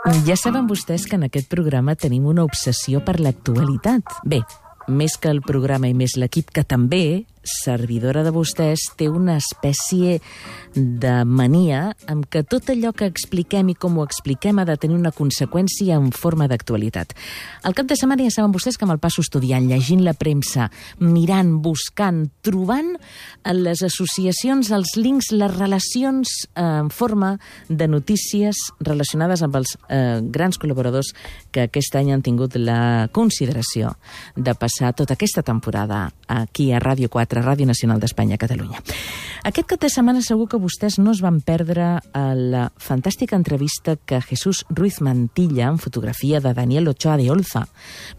Ja saben vostès que en aquest programa tenim una obsessió per l'actualitat. Bé, més que el programa i més l'equip, que també, servidora de vostès, té una espècie de mania amb que tot allò que expliquem i com ho expliquem ha de tenir una conseqüència en forma d'actualitat. Al cap de setmana ja saben vostès que me'l passo estudiant, llegint la premsa, mirant, buscant, trobant les associacions, els links, les relacions en forma de notícies relacionades amb els grans col·laboradors que aquest any han tingut la consideració de passar tota aquesta temporada aquí a Ràdio 4, a Ràdio Nacional d'Espanya, a Catalunya. Aquest cap de setmana segur que vostès no es van perdre la fantàstica entrevista que Jesús Ruiz Mantilla, en fotografia de Daniel Ochoa de Olza,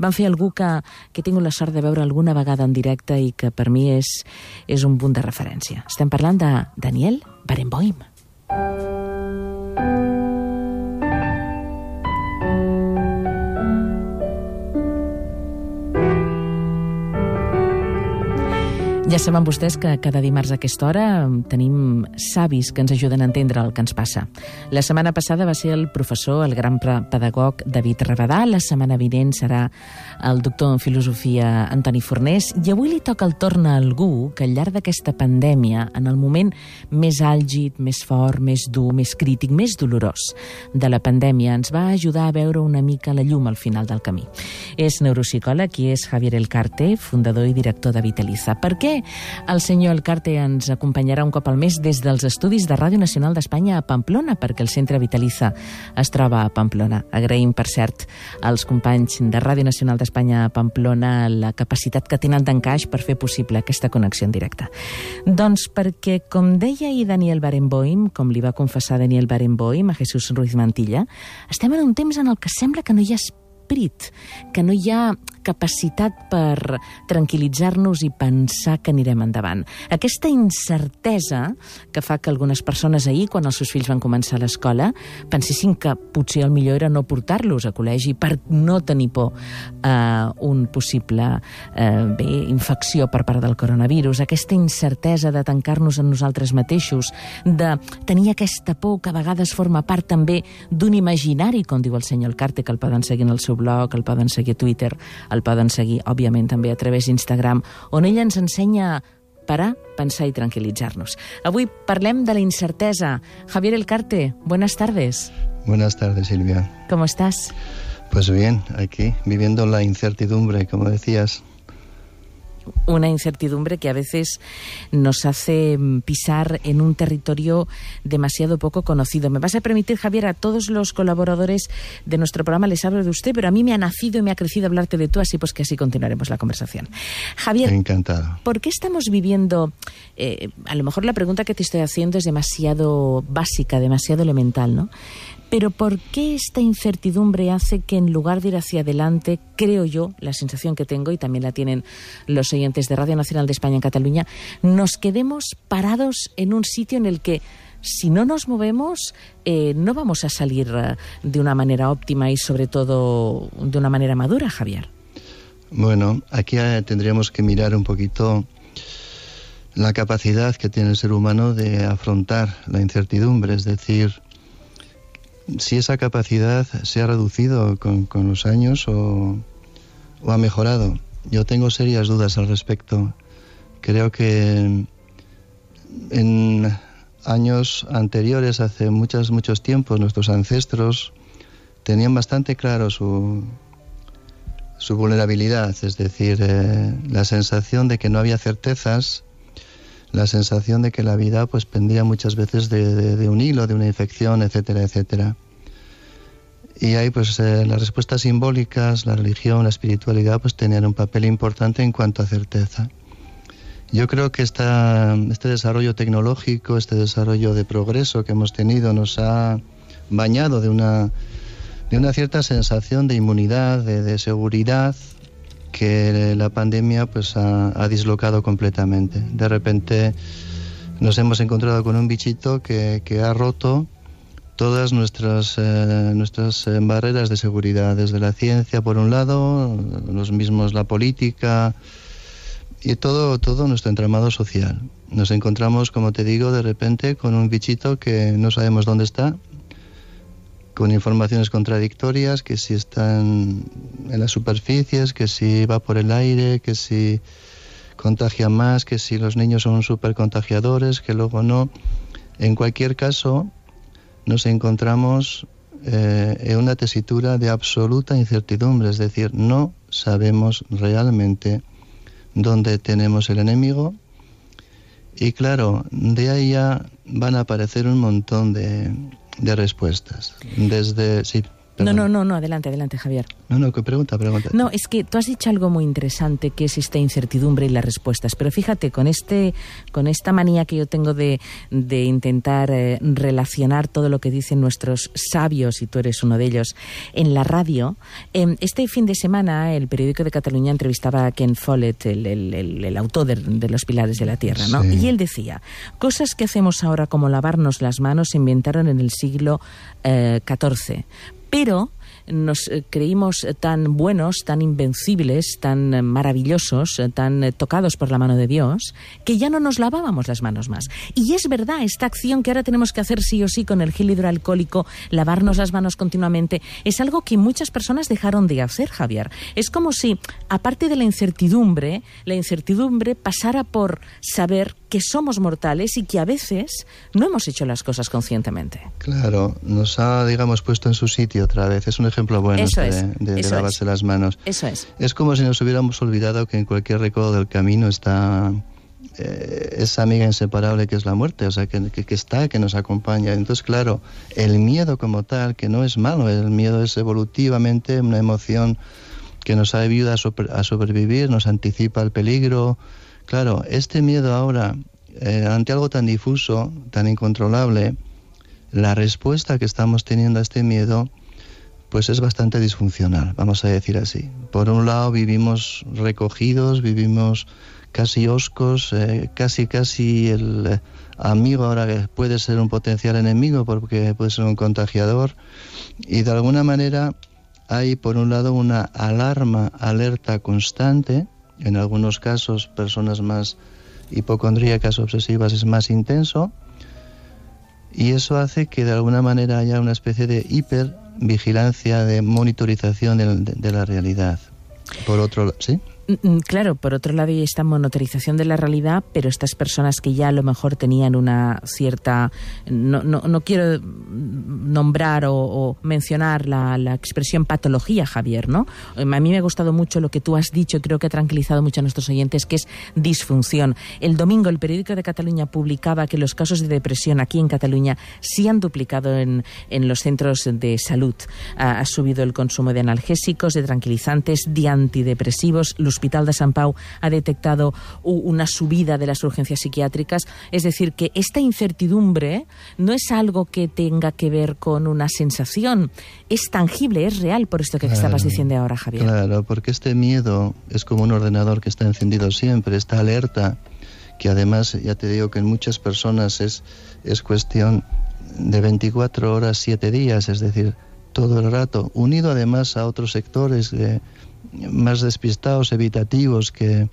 van fer algú que he tingut la sort de veure alguna vegada en directe i que per mi és un punt de referència. Estem parlant de Daniel Barenboim. Ja saben vostès que cada dimarts a aquesta hora tenim savis que ens ajuden a entendre el que ens passa. La setmana passada va ser el professor, el gran pedagog David Rabadà, la setmana vinent serà el doctor en filosofia Antoni Fornés, i avui li toca el torn a algú que al llarg d'aquesta pandèmia, en el moment més àlgid, més fort, més dur, més crític, més dolorós de la pandèmia, ens va ajudar a veure una mica la llum al final del camí. És neuropsicòleg i és Javier Elcarte, fundador i director de Vitaliza. Per què el senyor Elcarte ens acompanyarà un cop al mes des dels estudis de Ràdio Nacional d'Espanya a Pamplona, perquè el centre Vitaliza es troba a Pamplona. Agraïm, per cert, als companys de Ràdio Nacional d'Espanya a Pamplona la capacitat que tenen d'encaix per fer possible aquesta connexió en directe. Doncs perquè, com deia ahir Daniel Barenboim, com li va confessar Daniel Barenboim a Jesús Ruiz Mantilla, estem en un temps en el que sembla que no hi ha esperit, que no hi ha capacitat per tranquil·litzar-nos i pensar que anirem endavant. Aquesta incertesa que fa que algunes persones ahir, quan els seus fills van començar a l'escola, pensessin que potser el millor era no portar-los a col·legi per no tenir por a un possible infecció per part del coronavirus. Aquesta incertesa de tancar-nos en nosaltres mateixos, de tenir aquesta por que a vegades forma part també d'un imaginari, com diu el senyor Elcarte, que el poden seguir en el seu blog, el poden seguir a Twitter, el poden seguir, òbviament, també a través d'Instagram, on ella ens ensenya a parar, pensar i tranquil·litzar-nos. Avui parlem de la incertesa. Javier Elcarte, buenas tardes. Buenas tardes, Silvia. ¿Cómo estás? Pues bien, aquí, viviendo la incertidumbre, como decías. Una incertidumbre que a veces nos hace pisar en un territorio demasiado poco conocido. Me vas a permitir, Javier, a todos los colaboradores de nuestro programa les hablo de usted, pero a mí me ha nacido y me ha crecido hablarte de tú, así pues que así continuaremos la conversación. Javier, encantado. ¿Por qué estamos viviendo? A lo mejor la pregunta que te estoy haciendo es demasiado básica, demasiado elemental, ¿no? Pero ¿por qué esta incertidumbre hace que en lugar de ir hacia adelante, creo yo, la sensación que tengo, y también la tienen los oyentes de Radio Nacional de España en Cataluña, nos quedemos parados en un sitio en el que si no nos movemos no vamos a salir de una manera óptima y sobre todo de una manera madura, Javier? Bueno, aquí tendríamos que mirar un poquito la capacidad que tiene el ser humano de afrontar la incertidumbre, es decir, si esa capacidad se ha reducido con los años o ha mejorado. Yo tengo serias dudas al respecto. Creo que en años anteriores, hace muchos tiempos, nuestros ancestros tenían bastante claro su vulnerabilidad, es decir, la sensación de que no había certezas, la sensación de que la vida pues pendía muchas veces de un hilo, de una infección, etcétera, etcétera. Y ahí pues las respuestas simbólicas, la religión, la espiritualidad pues tenían un papel importante en cuanto a certeza. Yo creo que este desarrollo tecnológico, este desarrollo de progreso que hemos tenido nos ha bañado de una cierta sensación de inmunidad, de seguridad, que la pandemia pues ha dislocado completamente. De repente nos hemos encontrado con un bichito que ha roto todas nuestras barreras de seguridad, desde la ciencia por un lado, los mismos la política y todo nuestro entramado social. Nos encontramos, como te digo, de repente con un bichito que no sabemos dónde está, con informaciones contradictorias, que si están en las superficies, que si va por el aire, que si contagia más, que si los niños son súper contagiadores, que luego no. En cualquier caso, nos encontramos en una tesitura de absoluta incertidumbre, es decir, no sabemos realmente dónde tenemos el enemigo. Y claro, de ahí ya van a aparecer un montón de respuestas. Desde... Sí, No, adelante, Javier. No, ¿qué pregunta? No, es que tú has dicho algo muy interesante, que es esta incertidumbre y las respuestas. Pero fíjate, con esta manía que yo tengo de intentar relacionar todo lo que dicen nuestros sabios, y tú eres uno de ellos, en la radio, este fin de semana el periódico de Cataluña entrevistaba a Ken Follett, el autor de Los Pilares de la Tierra, ¿no? Sí. Y él decía, cosas que hacemos ahora como lavarnos las manos se inventaron en el siglo XIV. Pero nos creímos tan buenos, tan invencibles, tan maravillosos, tan tocados por la mano de Dios, que ya no nos lavábamos las manos más. Y es verdad, esta acción que ahora tenemos que hacer sí o sí con el gel hidroalcohólico, lavarnos las manos continuamente, es algo que muchas personas dejaron de hacer, Javier. Es como si, aparte de la incertidumbre pasara por saber que somos mortales y que a veces no hemos hecho las cosas conscientemente. Claro, nos ha, digamos, puesto en su sitio otra vez. Es un ejemplo bueno de lavarse las manos. Eso es. Es como si nos hubiéramos olvidado que en cualquier recodo del camino está esa amiga inseparable que es la muerte, o sea, que nos acompaña. Entonces, claro, el miedo como tal, que no es malo, el miedo es evolutivamente una emoción que nos ayuda a sobrevivir, nos anticipa el peligro. Claro, este miedo ahora, ante algo tan difuso, tan incontrolable, la respuesta que estamos teniendo a este miedo, pues es bastante disfuncional, vamos a decir así. Por un lado vivimos recogidos, vivimos casi hoscos, casi el amigo ahora que puede ser un potencial enemigo porque puede ser un contagiador. Y de alguna manera hay por un lado una alerta constante. En algunos casos, personas más hipocondríacas, obsesivas, es más intenso, y eso hace que de alguna manera haya una especie de hipervigilancia, de monitorización de la realidad. Por otro lado, ¿sí? Claro, por otro lado hay esta monitorización de la realidad, pero estas personas que ya a lo mejor tenían una cierta... No quiero nombrar o mencionar la expresión patología, Javier, ¿no? A mí me ha gustado mucho lo que tú has dicho, creo que ha tranquilizado mucho a nuestros oyentes, que es disfunción. El domingo el periódico de Cataluña publicaba que los casos de depresión aquí en Cataluña sí han duplicado en los centros de salud. Ha subido el consumo de analgésicos, de tranquilizantes, de antidepresivos. El Hospital de Sant Pau ha detectado una subida de las urgencias psiquiátricas. Es decir, que esta incertidumbre no es algo que tenga que ver con una sensación, es tangible, es real, por esto que estabas diciendo ahora, Javier. Claro, porque este miedo es como un ordenador que está encendido siempre, está alerta, que además, ya te digo que en muchas personas es cuestión de 24 horas, 7 días, es decir, todo el rato, unido además a otros sectores más despistados, evitativos, que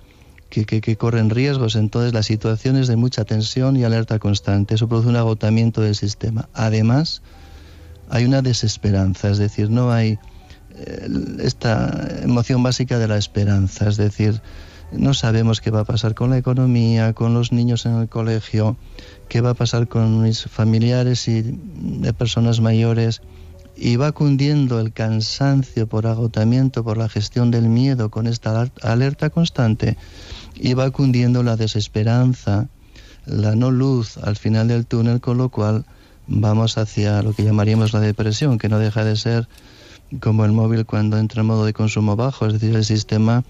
corren riesgos. Entonces la situación es de mucha tensión y alerta constante. Eso produce un agotamiento del sistema. Además, hay una desesperanza, es decir, no hay esta emoción básica de la esperanza, es decir, no sabemos qué va a pasar con la economía, con los niños en el colegio, qué va a pasar con mis familiares y de personas mayores. Y va cundiendo el cansancio por agotamiento, por la gestión del miedo con esta alerta constante, y va cundiendo la desesperanza, la no luz al final del túnel, con lo cual vamos hacia lo que llamaríamos la depresión, que no deja de ser como el móvil cuando entra en modo de consumo bajo, es decir, el sistema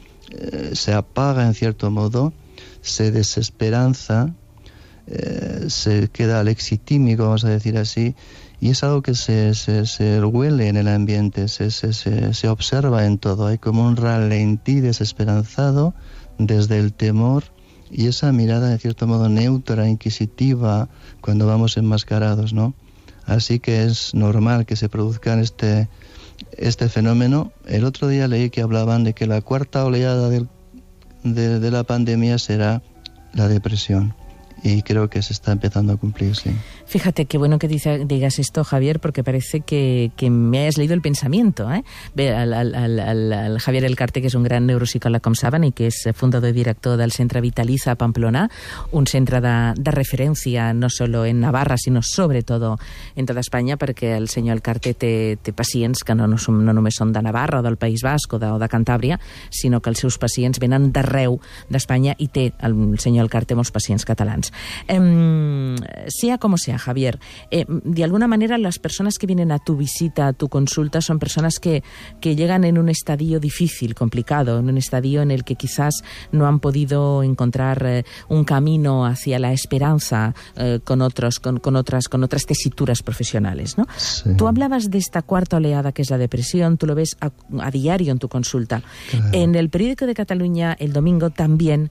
se apaga en cierto modo, se desesperanza, se queda alexitímico, vamos a decir así, y es algo que se huele en el ambiente, se observa en todo. Hay como un ralentí desesperanzado desde el temor y esa mirada, de cierto modo, neutra, inquisitiva, cuando vamos enmascarados, ¿no? Así que es normal que se produzca este fenómeno. El otro día leí que hablaban de que la cuarta oleada de la pandemia será la depresión. y creo que se está empezando a cumplir, sí. Fíjate, qué bueno que digas esto, Javier, porque parece que me hayas leído el pensamiento. Bé, el Javier Elcarte, que és un gran neuropsicòleg, com saben, i que és fundador i director del Centre Vitaliza a Pamplona, un centre de referència no solo en Navarra, sinó sobretot en tota Espanya, perquè el senyor Elcarte té pacients que no només són de Navarra o del País Basc o de Cantàbria, sinó que els seus pacients venen d'arreu d'Espanya i té el senyor Elcarte molts pacients catalans. Sea como sea, Javier, de alguna manera las personas que vienen a tu visita, a tu consulta, son personas que llegan en un estadio difícil, complicado, en un estadio en el que quizás no han podido encontrar un camino hacia la esperanza con otras tesituras profesionales, ¿no? Sí. Tú hablabas de esta cuarta oleada que es la depresión, tú lo ves a diario en tu consulta. Claro. En el periódico de Cataluña el domingo también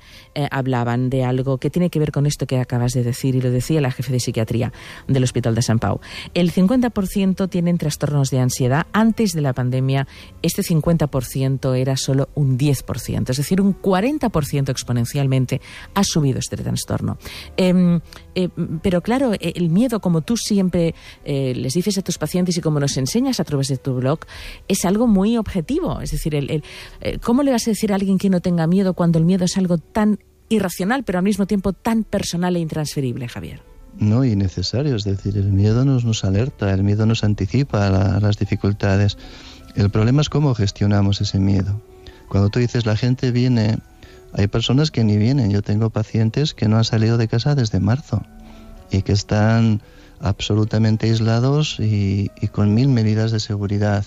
hablaban de algo que tiene que ver con esto que acabas de decir, y lo decía la jefe de psiquiatría del Hospital de Sant Pau. El 50% tienen trastornos de ansiedad. Antes de la pandemia, este 50% era solo un 10%. Es decir, un 40% exponencialmente ha subido este trastorno. Pero claro, el miedo, como tú siempre les dices a tus pacientes y como nos enseñas a través de tu blog, es algo muy objetivo. Es decir, ¿cómo le vas a decir a alguien que no tenga miedo cuando el miedo es algo tan irracional, pero al mismo tiempo tan personal e intransferible, Javier? No, y necesario, es decir, el miedo nos alerta, el miedo nos anticipa a las dificultades. El problema es cómo gestionamos ese miedo. Cuando tú dices la gente viene, hay personas que ni vienen. Yo tengo pacientes que no han salido de casa desde marzo y que están absolutamente aislados y con 1000 medidas de seguridad.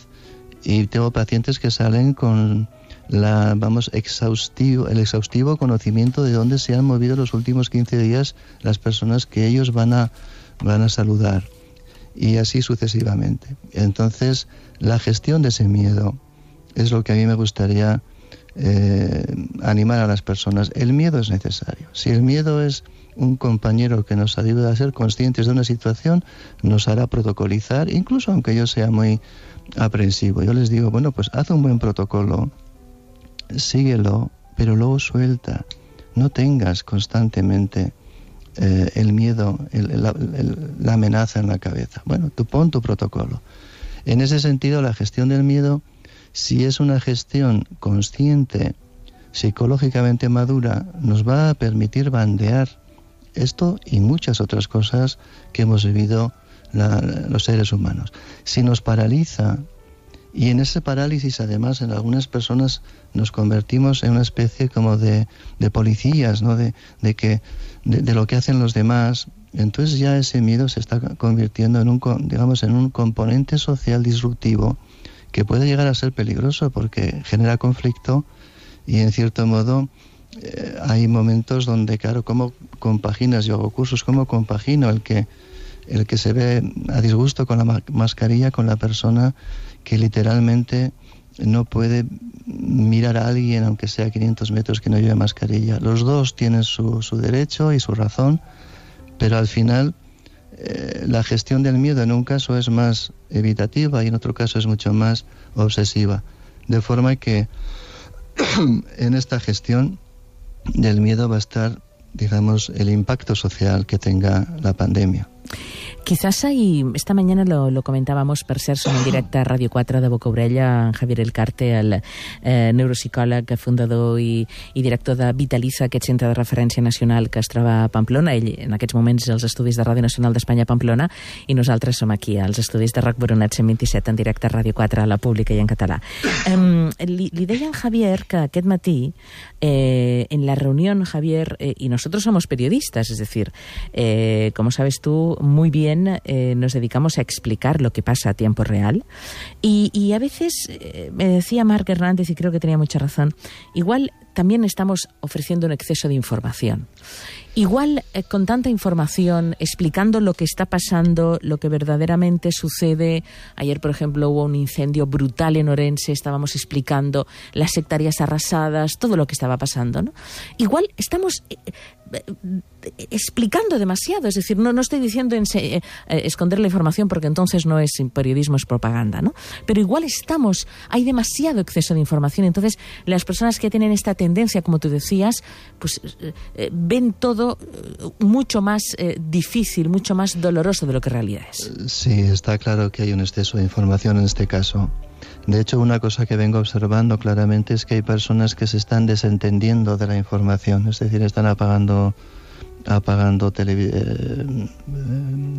Y tengo pacientes que salen con el exhaustivo conocimiento de dónde se han movido los últimos 15 días las personas que ellos van a saludar, y así sucesivamente. Entonces, la gestión de ese miedo es lo que a mí me gustaría animar a las personas. El miedo es necesario. Si el miedo es un compañero que nos ayuda a ser conscientes de una situación, nos hará protocolizar, incluso aunque yo sea muy aprensivo. Yo les digo, bueno, pues haz un buen protocolo, síguelo, pero luego suelta. No tengas constantemente el miedo, la amenaza en la cabeza. Bueno, tú pon tu protocolo. En ese sentido, la gestión del miedo, si es una gestión consciente, psicológicamente madura, nos va a permitir bandear esto y muchas otras cosas que hemos vivido los seres humanos. Si nos paraliza, y en ese parálisis, además, en algunas personas nos convertimos en una especie como de policías, ¿no? de lo que hacen los demás. Entonces ya ese miedo se está convirtiendo en un componente social disruptivo que puede llegar a ser peligroso porque genera conflicto y, en cierto modo, hay momentos donde, claro, ¿cómo compaginas? Yo hago cursos, ¿cómo compagino el que se ve a disgusto con la mascarilla con la persona que literalmente no puede mirar a alguien, aunque sea 500 metros, que no lleve mascarilla? Los dos tienen su derecho y su razón, pero al final la gestión del miedo en un caso es más evitativa y en otro caso es mucho más obsesiva. De forma que en esta gestión del miedo va a estar, digamos, el impacto social que tenga la pandemia. Quizás esta mañana lo comentábamos, per cert, som en directe a Ràdio 4 de Boca Orella, Javier Elcarte, el neuropsicòleg, fundador i director de Vitaliza, aquest centre de referència nacional que es troba a Pamplona. Ell en aquests moments als estudis de Ràdio Nacional d'Espanya a Pamplona, i nosaltres som aquí als estudis de RAC Boronat 127 en directe a Ràdio 4, a la pública i en català. Li deia en Javier que aquest matí en la reunión, Javier, y nosotros somos periodistas, es decir, como sabes tú muy bien, nos dedicamos a explicar lo que pasa a tiempo real, y a veces me decía Marc Hernández, y creo que tenía mucha razón, igual también estamos ofreciendo un exceso de información. Igual con tanta información, explicando lo que está pasando, lo que verdaderamente sucede. Ayer, por ejemplo, hubo un incendio brutal en Orense, estábamos explicando las hectáreas arrasadas, todo lo que estaba pasando, ¿no? Igual estamos explicando demasiado, es decir, no estoy diciendo esconder la información porque entonces no es periodismo, es propaganda, ¿no? Pero igual hay demasiado exceso de información, entonces las personas que tienen esta tendencia, como tú decías, pues ven todo mucho más difícil, mucho más doloroso de lo que en realidad es. Sí, está claro que hay un exceso de información en este caso. De hecho, una cosa que vengo observando claramente es que hay personas que se están desentendiendo de la información, es decir, están apagando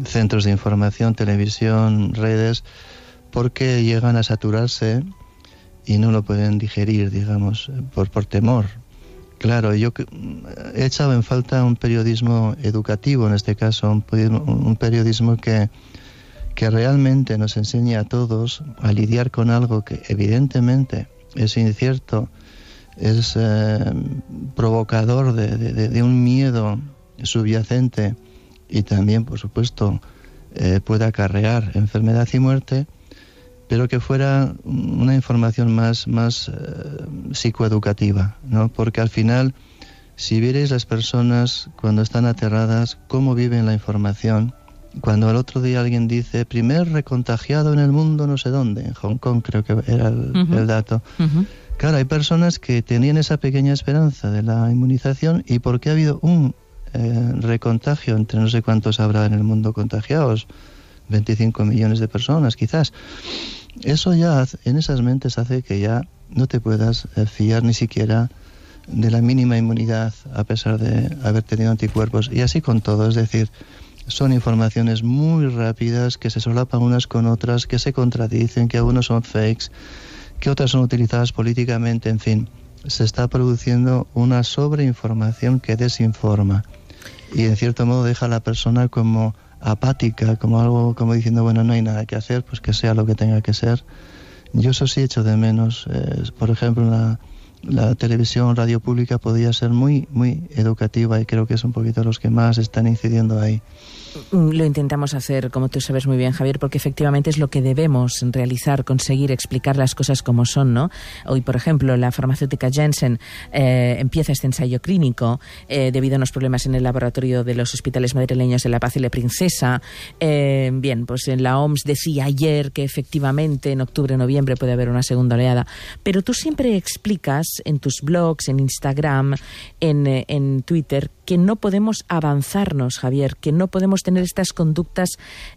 centros de información, televisión, redes, porque llegan a saturarse y no lo pueden digerir, digamos, por temor. Claro, yo he echado en falta un periodismo educativo, en este caso, un periodismo que realmente nos enseñe a todos a lidiar con algo que evidentemente es incierto, es provocador de un miedo subyacente y también, por supuesto, puede acarrear enfermedad y muerte, pero que fuera una información más psicoeducativa, ¿no? Porque al final, si vierais las personas cuando están aterradas, cómo viven la información. Cuando el otro día alguien dice, primer recontagiado en el mundo no sé dónde, en Hong Kong creo que era el dato. Claro, hay personas que tenían esa pequeña esperanza de la inmunización y porque ha habido un recontagio entre no sé cuántos habrá en el mundo contagiados, 25 millones de personas quizás. Eso ya en esas mentes hace que ya no te puedas fiar ni siquiera de la mínima inmunidad a pesar de haber tenido anticuerpos. Y así con todo, es decir, son informaciones muy rápidas que se solapan unas con otras, que se contradicen, que algunos son fakes, que otras son utilizadas políticamente, en fin, se está produciendo una sobreinformación que desinforma y en cierto modo deja a la persona como apática, como algo como diciendo, bueno, no hay nada que hacer, pues que sea lo que tenga que ser. Yo eso sí echo de menos, por ejemplo, la televisión, radio pública podría ser muy educativa y creo que es un poquito los que más están incidiendo ahí. Lo intentamos hacer, como tú sabes muy bien, Javier, porque efectivamente es lo que debemos realizar, conseguir explicar las cosas como son, ¿no? Hoy, por ejemplo, la farmacéutica Janssen empieza este ensayo clínico debido a unos problemas en el laboratorio de los hospitales madrileños de La Paz y La Princesa. Bien, pues la OMS decía ayer que efectivamente en octubre, noviembre puede haber una segunda oleada, pero tú siempre explicas en tus blogs, en Instagram, en Twitter, que no podemos avanzarnos, Javier, que no podemos tener estas conductas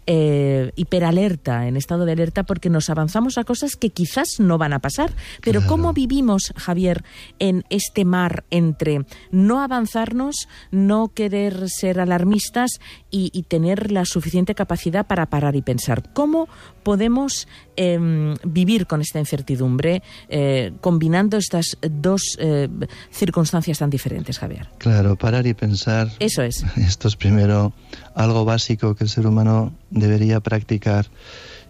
hiperalerta, en estado de alerta, porque nos avanzamos a cosas que quizás no van a pasar. Pero claro, ¿cómo vivimos, Javier, en este mar entre no avanzarnos, no querer ser alarmistas y tener la suficiente capacidad para parar y pensar? ¿Cómo podemos vivir con esta incertidumbre, combinando estas dos circunstancias tan diferentes, Javier? Claro, parar y pensar. Eso es. Esto es primero algo básico que el ser humano debería practicar.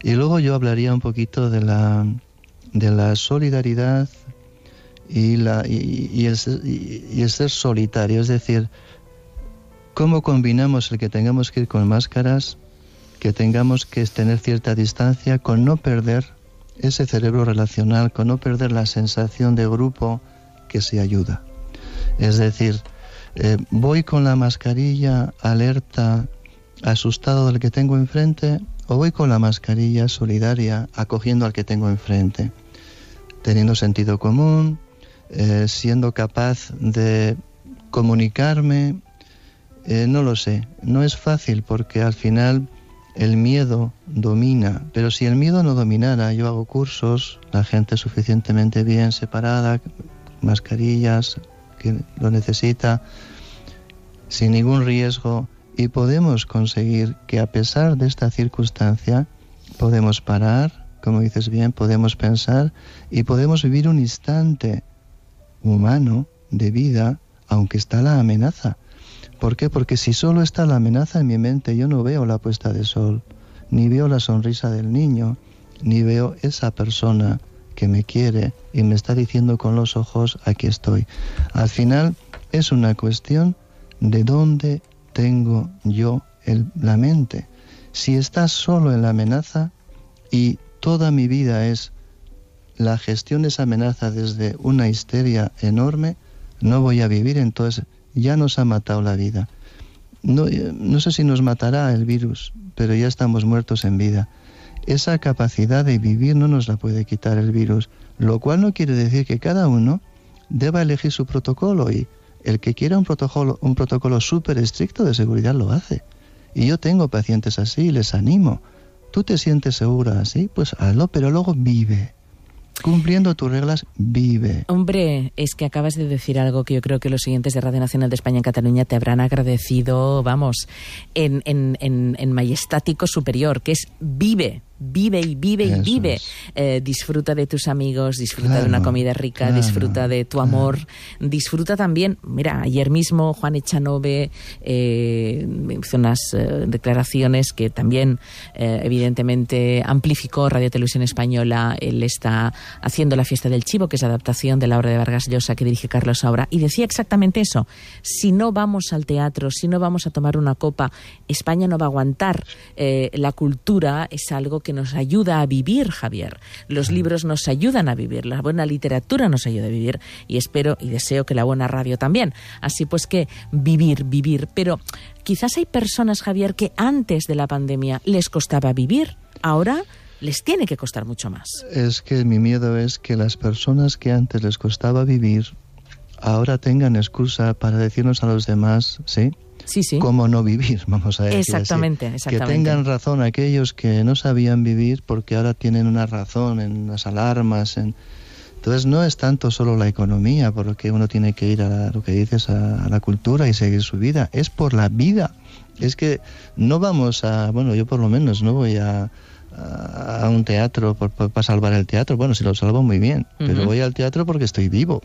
Y luego yo hablaría un poquito de la solidaridad y el ser solitario. Es decir, cómo combinamos el que tengamos que ir con máscaras, que tengamos que tener cierta distancia, con no perder ese cerebro relacional, con no perder la sensación de grupo que se ayuda. Es decir, ¿voy con la mascarilla alerta, asustado del que tengo enfrente, o voy con la mascarilla solidaria, acogiendo al que tengo enfrente? Teniendo sentido común, siendo capaz de comunicarme, no lo sé. No es fácil porque al final el miedo domina, pero si el miedo no dominara, yo hago cursos, la gente suficientemente bien separada, mascarillas, que lo necesita, sin ningún riesgo, y podemos conseguir que a pesar de esta circunstancia podemos parar, como dices bien, podemos pensar y podemos vivir un instante humano de vida, aunque está la amenaza. ¿Por qué? Porque si solo está la amenaza en mi mente, yo no veo la puesta de sol, ni veo la sonrisa del niño, ni veo esa persona que me quiere y me está diciendo con los ojos, aquí estoy. Al final es una cuestión de dónde tengo yo la mente. Si estás solo en la amenaza y toda mi vida es la gestión de esa amenaza desde una histeria enorme, no voy a vivir, entonces ya nos ha matado la vida. No sé si nos matará el virus, pero ya estamos muertos en vida. Esa capacidad de vivir no nos la puede quitar el virus, lo cual no quiere decir que cada uno deba elegir su protocolo, y el que quiera un protocolo súper estricto de seguridad lo hace. Y yo tengo pacientes así y les animo. ¿Tú te sientes segura así? Pues hazlo, pero luego vive. Cumpliendo tus reglas, vive. Hombre, es que acabas de decir algo que yo creo que los siguientes de Radio Nacional de España en Cataluña te habrán agradecido, vamos, en majestático superior, que es vive. Vive y vive y vive. Disfruta de tus amigos, disfruta de una comida rica, disfruta de tu amor, disfruta también. Mira, ayer mismo Juan Echanove hizo unas declaraciones que también evidentemente amplificó Radio Televisión Española. Él está haciendo La fiesta del chivo, que es adaptación de la obra de Vargas Llosa que dirige Carlos Saura, y decía exactamente eso: si no vamos al teatro, si no vamos a tomar una copa, España no va a aguantar. La cultura es algo que nos ayuda a vivir, Javier. Los libros nos ayudan a vivir, la buena literatura nos ayuda a vivir, y espero y deseo que la buena radio también. Así pues que vivir. Pero quizás hay personas, Javier, que antes de la pandemia les costaba vivir, ahora les tiene que costar mucho más. Es que mi miedo es que las personas que antes les costaba vivir ahora tengan excusa para decirnos a los demás, ¿sí? Sí. Cómo no vivir, vamos a decir exactamente, así. Exactamente. Que tengan razón aquellos que no sabían vivir, porque ahora tienen una razón en las alarmas. Entonces no es tanto solo la economía, por lo que uno tiene que ir a lo que dices, a la cultura y seguir su vida. Es por la vida. Es que no vamos yo por lo menos no voy a un teatro para salvar el teatro. Bueno, si lo salvo muy bien, pero voy al teatro porque estoy vivo.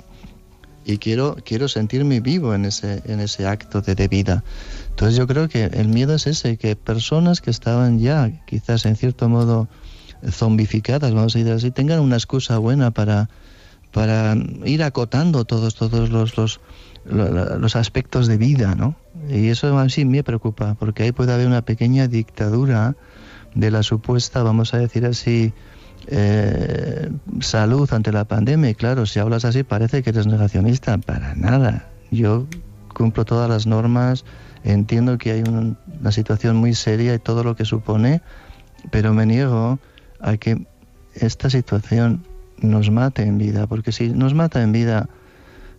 Y quiero sentirme vivo en ese acto de vida. Entonces yo creo que el miedo es ese, que personas que estaban ya quizás en cierto modo zombificadas, vamos a decir así, tengan una excusa buena para ir acotando todos los aspectos de vida, ¿no? Y eso a mí sí me preocupa, porque ahí puede haber una pequeña dictadura de la supuesta, vamos a decir así, salud ante la pandemia. Y claro, si hablas así parece que eres negacionista. Para nada. Yo cumplo todas las normas, entiendo que hay una situación muy seria y todo lo que supone, pero me niego a que esta situación nos mate en vida, porque si nos mata en vida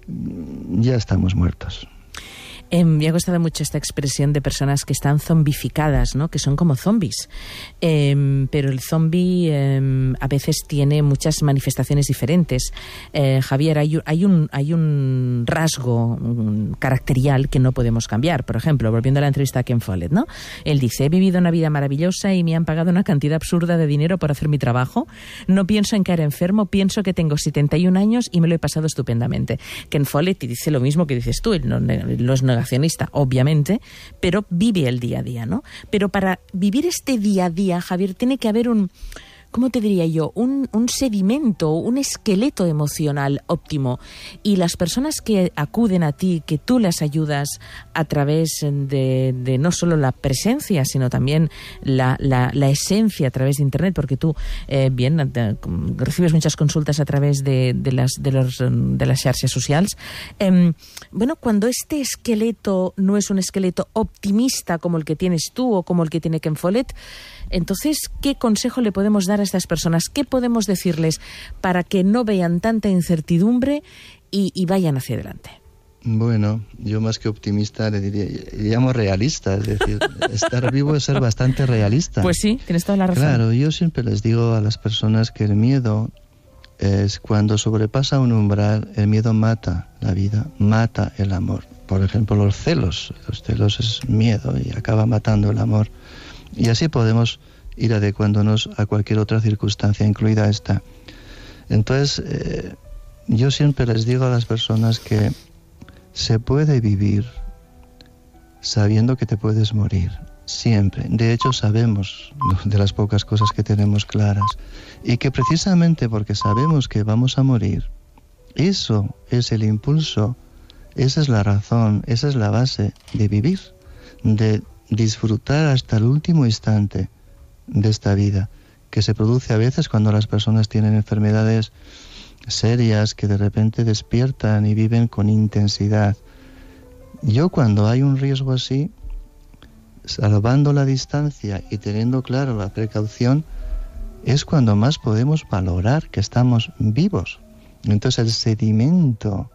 ya estamos muertos. Me ha gustado mucho esta expresión de personas que están zombificadas, ¿no? Que son como zombies. Pero el zombi a veces tiene muchas manifestaciones diferentes. Javier, hay un rasgo caracterial que no podemos cambiar. Por ejemplo, volviendo a la entrevista a Ken Follett, ¿no? Él dice: he vivido una vida maravillosa y me han pagado una cantidad absurda de dinero por hacer mi trabajo. No pienso en caer enfermo, pienso que tengo 71 años y me lo he pasado estupendamente. Ken Follett dice lo mismo que dices tú, él no es negacionista, obviamente, pero vive el día a día, ¿no? Pero para vivir este día a día, Javier, tiene que haber ¿cómo te diría yo? Un sedimento, un esqueleto emocional óptimo. Y las personas que acuden a ti, que tú las ayudas a través de no solo la presencia, sino también la esencia a través de Internet, porque tú recibes muchas consultas a través de las xarxes socials. Cuando este esqueleto no es un esqueleto optimista como el que tienes tú o como el que tiene Ken Follett, entonces, ¿qué consejo le podemos dar a estas personas? ¿Qué podemos decirles para que no vean tanta incertidumbre y vayan hacia adelante? Bueno, yo más que optimista le llamo realista, es decir, estar vivo es ser bastante realista. Pues sí, tienes toda la razón. Claro, yo siempre les digo a las personas que el miedo es cuando sobrepasa un umbral, el miedo mata la vida, mata el amor. Por ejemplo, los celos es miedo y acaba matando el amor. Y así podemos ir adecuándonos a cualquier otra circunstancia, incluida esta. Entonces, yo siempre les digo a las personas que se puede vivir sabiendo que te puedes morir, siempre. De hecho, sabemos de las pocas cosas que tenemos claras. Y que precisamente porque sabemos que vamos a morir, eso es el impulso, esa es la razón, esa es la base de vivir, de disfrutar hasta el último instante de esta vida, que se produce a veces cuando las personas tienen enfermedades serias que de repente despiertan y viven con intensidad. Yo, cuando hay un riesgo así, salvando la distancia y teniendo claro la precaución, es cuando más podemos valorar que estamos vivos. Entonces el sedimento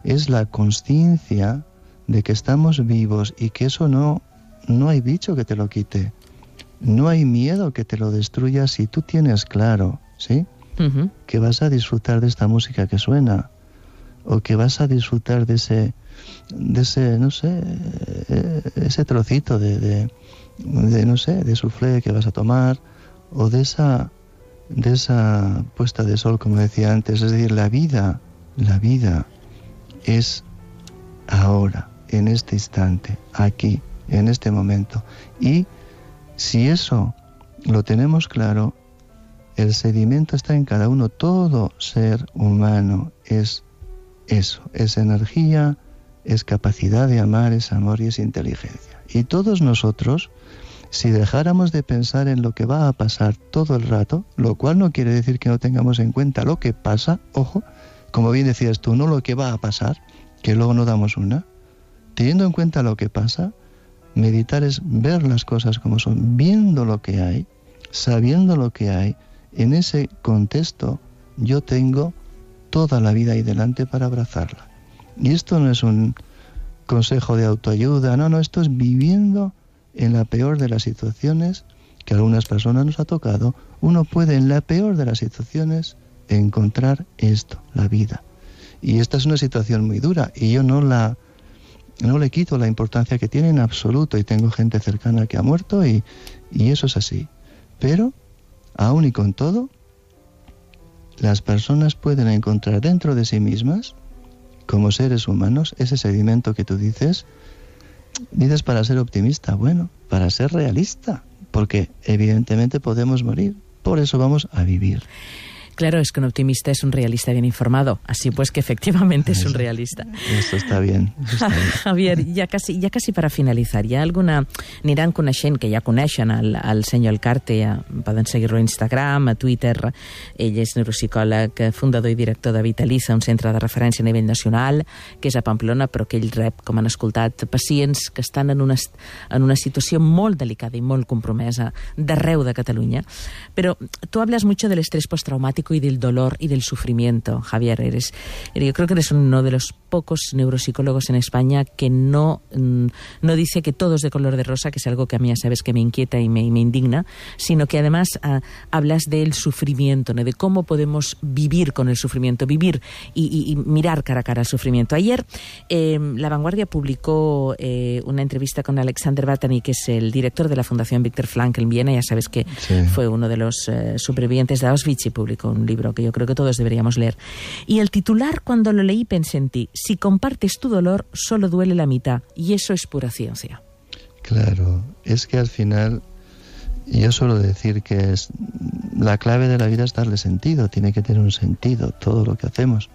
es la consciencia de que estamos vivos y que eso no hay bicho que te lo quite. No hay miedo que te lo destruya si tú tienes claro, ¿sí? Uh-huh. Que vas a disfrutar de esta música que suena, o que vas a disfrutar de ese no sé, ese trocito de no sé, de soufflé que vas a tomar, o de esa puesta de sol, como decía antes. Es decir, la vida es ahora, en este instante, aquí, en este momento. Y si eso lo tenemos claro, el sedimento está en cada uno. Todo ser humano es eso, es energía, es capacidad de amar, es amor y es inteligencia. Y todos nosotros, si dejáramos de pensar en lo que va a pasar todo el rato, lo cual no quiere decir que no tengamos en cuenta lo que pasa, ojo, como bien decías tú, no lo que va a pasar, que luego no damos una, teniendo en cuenta lo que pasa, meditar es ver las cosas como son, viendo lo que hay, sabiendo lo que hay. En ese contexto yo tengo toda la vida ahí delante para abrazarla. Y esto no es un consejo de autoayuda, no, esto es viviendo en la peor de las situaciones que a algunas personas nos ha tocado. Uno puede en la peor de las situaciones encontrar esto, la vida. Y esta es una situación muy dura y yo no le quito la importancia que tiene en absoluto, y tengo gente cercana que ha muerto y eso es así. Pero, aún y con todo, las personas pueden encontrar dentro de sí mismas, como seres humanos, ese sedimento que tú dices para ser optimista, bueno, para ser realista, porque evidentemente podemos morir, por eso vamos a vivir. Claro, es que un optimista es un realista bien informado, así pues que efectivamente és un realista. Eso está bien. Javier, ja quasi per a finalitzar, hi ha alguna... Aniran coneixent, que ja coneixen el senyor Elcarte, poden seguir-lo a Instagram, a Twitter. Ell és neuropsicòleg, fundador i director de Vitaliza, un centre de referència a nivell nacional, que és a Pamplona, però que ell rep, com han escoltat, pacients que estan en una situació molt delicada i molt compromesa d'arreu de Catalunya. Però tu hablas mucho del estrés postraumático y del dolor y del sufrimiento, Javier. Yo creo que eres uno de los pocos neuropsicólogos en España que no dice que todo es de color de rosa, que es algo que a mí ya sabes que me inquieta y me indigna, sino que además hablas del sufrimiento, ¿no? De cómo podemos vivir con el sufrimiento, vivir y mirar cara a cara al sufrimiento. Ayer La Vanguardia publicó una entrevista con Alexander Batany, que es el director de la Fundación Viktor Frankl en Viena. Ya sabes que sí, fue uno de los supervivientes de Auschwitz, y publicó un libro que yo creo que todos deberíamos leer. Y el titular, cuando lo leí, pensé en ti: si compartes tu dolor, solo duele la mitad, y eso es pura ciencia. Claro, es que al final yo suelo decir que la clave de la vida es darle sentido, tiene que tener un sentido todo lo que hacemos.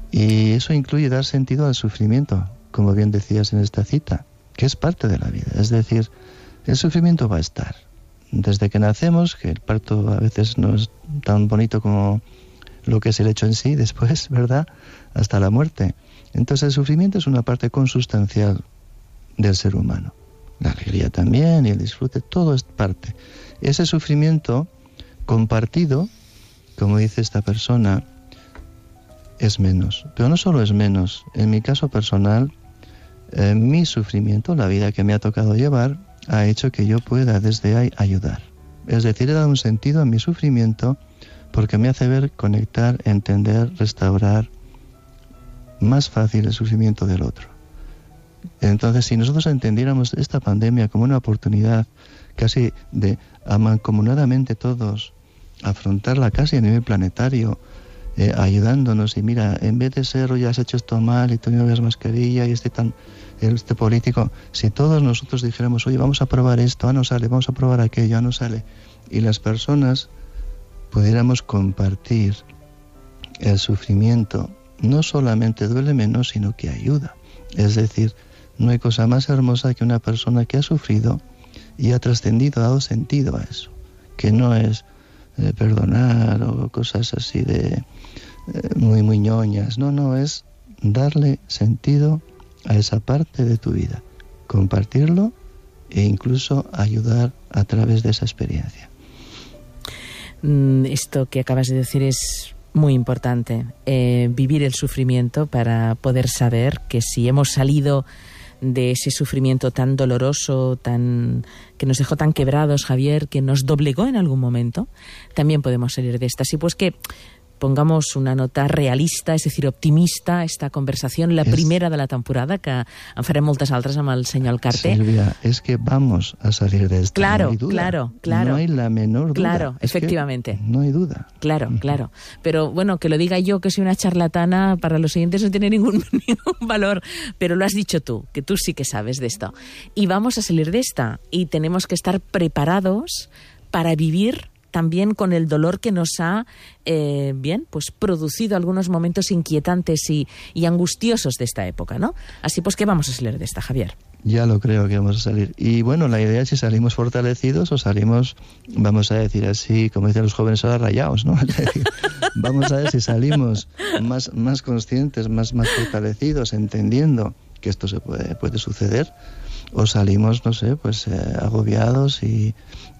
Y eso incluye dar sentido al sufrimiento, como bien decías en esta cita, que es parte de la vida. Es decir, el sufrimiento va a estar. Desde que nacemos, que el parto a veces no es tan bonito como lo que es el hecho en sí, después, ¿verdad?, hasta la muerte. Entonces el sufrimiento es una parte consustancial del ser humano. La alegría también y el disfrute, todo es parte. Ese sufrimiento compartido, como dice esta persona, es menos. Pero no solo es menos. En mi caso personal, mi sufrimiento, la vida que me ha tocado llevar, ha hecho que yo pueda desde ahí ayudar. Es decir, he dado un sentido a mi sufrimiento porque me hace ver, conectar, entender, restaurar más fácil el sufrimiento del otro. Entonces, si nosotros entendiéramos esta pandemia como una oportunidad casi de mancomunadamente todos afrontarla casi a nivel planetario, ayudándonos, y mira, en vez de ser, oye, has hecho esto mal y tú no llevas mascarilla y este político, si todos nosotros dijéramos, oye, vamos a probar esto, no sale, vamos a probar aquello, no sale, y las personas pudiéramos compartir el sufrimiento, no solamente duele menos, sino que ayuda. Es decir, no hay cosa más hermosa que una persona que ha sufrido y ha trascendido, ha dado sentido a eso, que no es perdonar o cosas así de muy ñoñas, no, es darle sentido a esa parte de tu vida, compartirlo e incluso ayudar a través de esa experiencia. Esto que acabas de decir es Muy importante, vivir el sufrimiento para poder saber que si hemos salido de ese sufrimiento tan doloroso, que nos dejó tan quebrados, Javier, que nos doblegó en algún momento, también podemos salir de esta. Así pues que pongamos una nota realista, és a dir, optimista, esta conversació, la primera de la temporada, que en farem moltes altres amb el senyor Alcarte. Silvia, es que vamos a salir de esta, claro, no hay duda. Claro. No hay la menor duda. Claro, efectivamente. No hay duda. Claro. Pero bueno, que lo diga yo, que soy una charlatana, para los siguientes no tiene ningún valor, pero lo has dicho tú, que tú sí que sabes de esto. Y vamos a salir de esta, y tenemos que estar preparados para vivir también con el dolor que nos ha producido algunos momentos inquietantes y angustiosos de esta época, ¿no? Así pues que vamos a salir de esta, Javier. Ya lo creo que vamos a salir. Y bueno, la idea es si salimos fortalecidos o salimos, vamos a decir así, como dicen los jóvenes ahora, rayados, ¿no? Es decir, vamos a ver si salimos más conscientes, más fortalecidos, entendiendo que esto se puede suceder, o salimos, no sé, pues agobiados y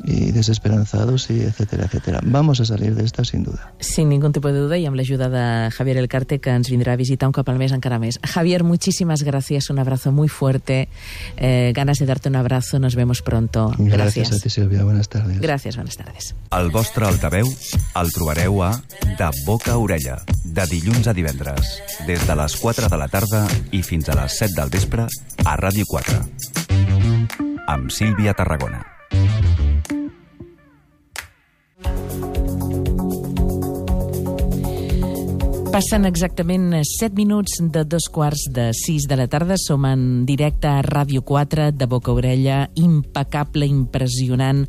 desesperanzados, y etcétera, etcétera. Vamos a salir de esta sin duda. Sin ningún tipo de duda, y amb l'ajuda de Javier Elcarte, que ens vindrà a visitar un cop al mes encara més. Javier, muchísimas gracias, un abrazo muy fuerte, ganas de darte un abrazo, nos vemos pronto. Gracias a ti, Silvia, buenas tardes. Gracias, buenas tardes. El vostre altaveu el trobareu a De Boca a Orella, de dilluns a divendres, des de les 4 de la tarda i fins a les 7 del vespre, a Ràdio 4. Amb Sílvia Tarragona. Passen exactament 7 minuts de 2:45 de la tarda. Som en directe a Ràdio 4, de boca a orella, impecable, impressionant,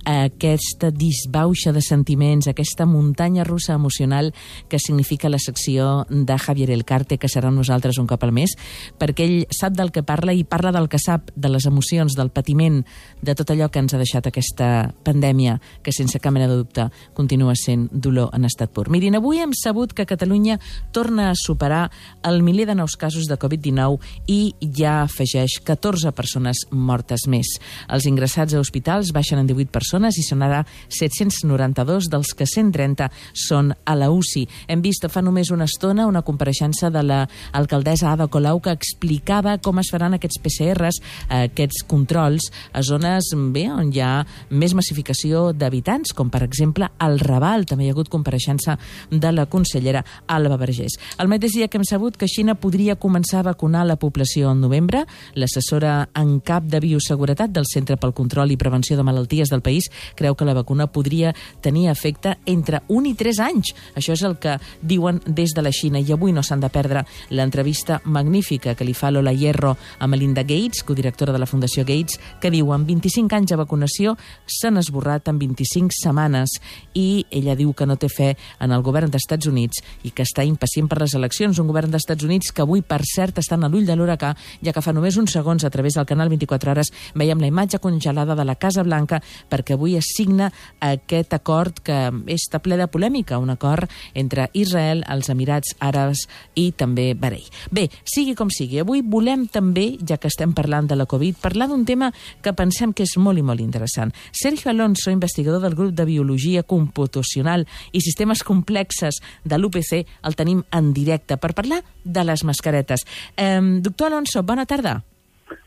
aquesta disbauxa de sentiments, aquesta muntanya russa emocional que significa la secció de Javier Elcarte, que serà amb nosaltres un cop al mes, perquè ell sap del que parla i parla del que sap, de les emocions, del patiment, de tot allò que ens ha deixat aquesta pandèmia, que sense cap mena de dubte continua sent dolor en estat pur. Mirin, avui hem sabut que Catalunya torna a superar el miler de nous casos de Covid-19 i ja afegeix 14 persones mortes més. Els ingressats a hospitals baixen en 18 persones i són ara 792, dels que 130 són a la UCI. Hem vist fa només una estona una compareixença de l'alcaldessa Ada Colau, que explicava com es faran aquests PCRs, aquests controls, a zones on hi ha més massificació d'habitants, com per exemple al Raval. També hi ha hagut compareixença de la consellera Alba Vergés. Al mateix dia que hem sabut que Xina podria començar a vacunar la població en novembre, l'assessora en cap de bioseguretat del Centre pel Control i Prevenció de Malalties del país creu que la vacuna podria tenir efecte entre 1 i 3 anys. Això és el que diuen des de la Xina, i avui no s'han de perdre l'entrevista magnífica que li fa Lola Hierro a Melinda Gates, codirectora de la Fundació Gates, que diu: en 25 anys de vacunació s'han esborrat en 25 setmanes, i ella diu que no té fe en el govern dels Estats Units i que està impacient per les eleccions. Un govern dels Estats Units que avui, per cert, estan a l'ull de l'huracà, ja que fa només uns segons a través del canal 24 hores veiem la imatge congelada de la Casa Blanca, perquè avui es signa aquest acord que està ple de polèmica, un acord entre Israel, els Emirats Àrabs i també Bahrein. Bé, sigui com sigui, avui volem també, ja que estem parlant de la Covid, parlar d'un tema que pensem que és molt i molt interessant. Sergio Alonso, investigador del grup de Biologia Computacional i Sistemes Complexes de l'UPC, el tenim en directe per parlar de les mascaretes. Doctor Alonso, bona tarda.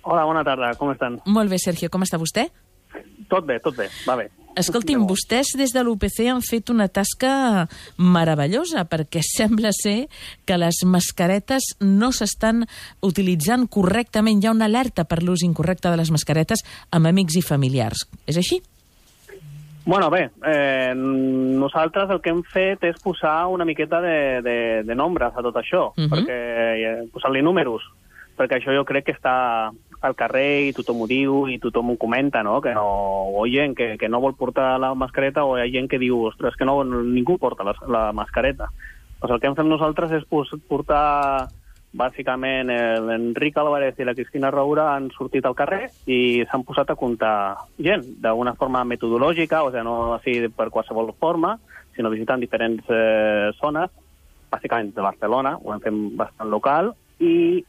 Hola, bona tarda, com estan? Molt bé, Sergio, com està vostè? Tot bé, va bé. Escolti'm, vostès des de l'UPC han fet una tasca meravellosa, perquè sembla ser que les mascaretes no s'estan utilitzant correctament. Hi ha una alerta per l'ús incorrecte de les mascaretes amb amics i familiars. És així? Bueno, bé, nosaltres el que hem fet és posar una miqueta de nombres a tot això, perquè posar-li números, perquè això jo crec que està al carrer i tothom ho diu i tothom ho comenta, no? Que no, o hi ha gent que no vol portar la mascareta, o hi ha gent que diu, ostres, que no, ningú porta la mascareta. Doncs el que hem fet nosaltres és portar, bàsicament, l'Enric Álvarez i la Cristina Roura han sortit al carrer i s'han posat a comptar gent, d'una forma metodològica, o sigui, no així per qualsevol forma, sinó visitant diferents zones, bàsicament de Barcelona, ho hem fet bastant local, i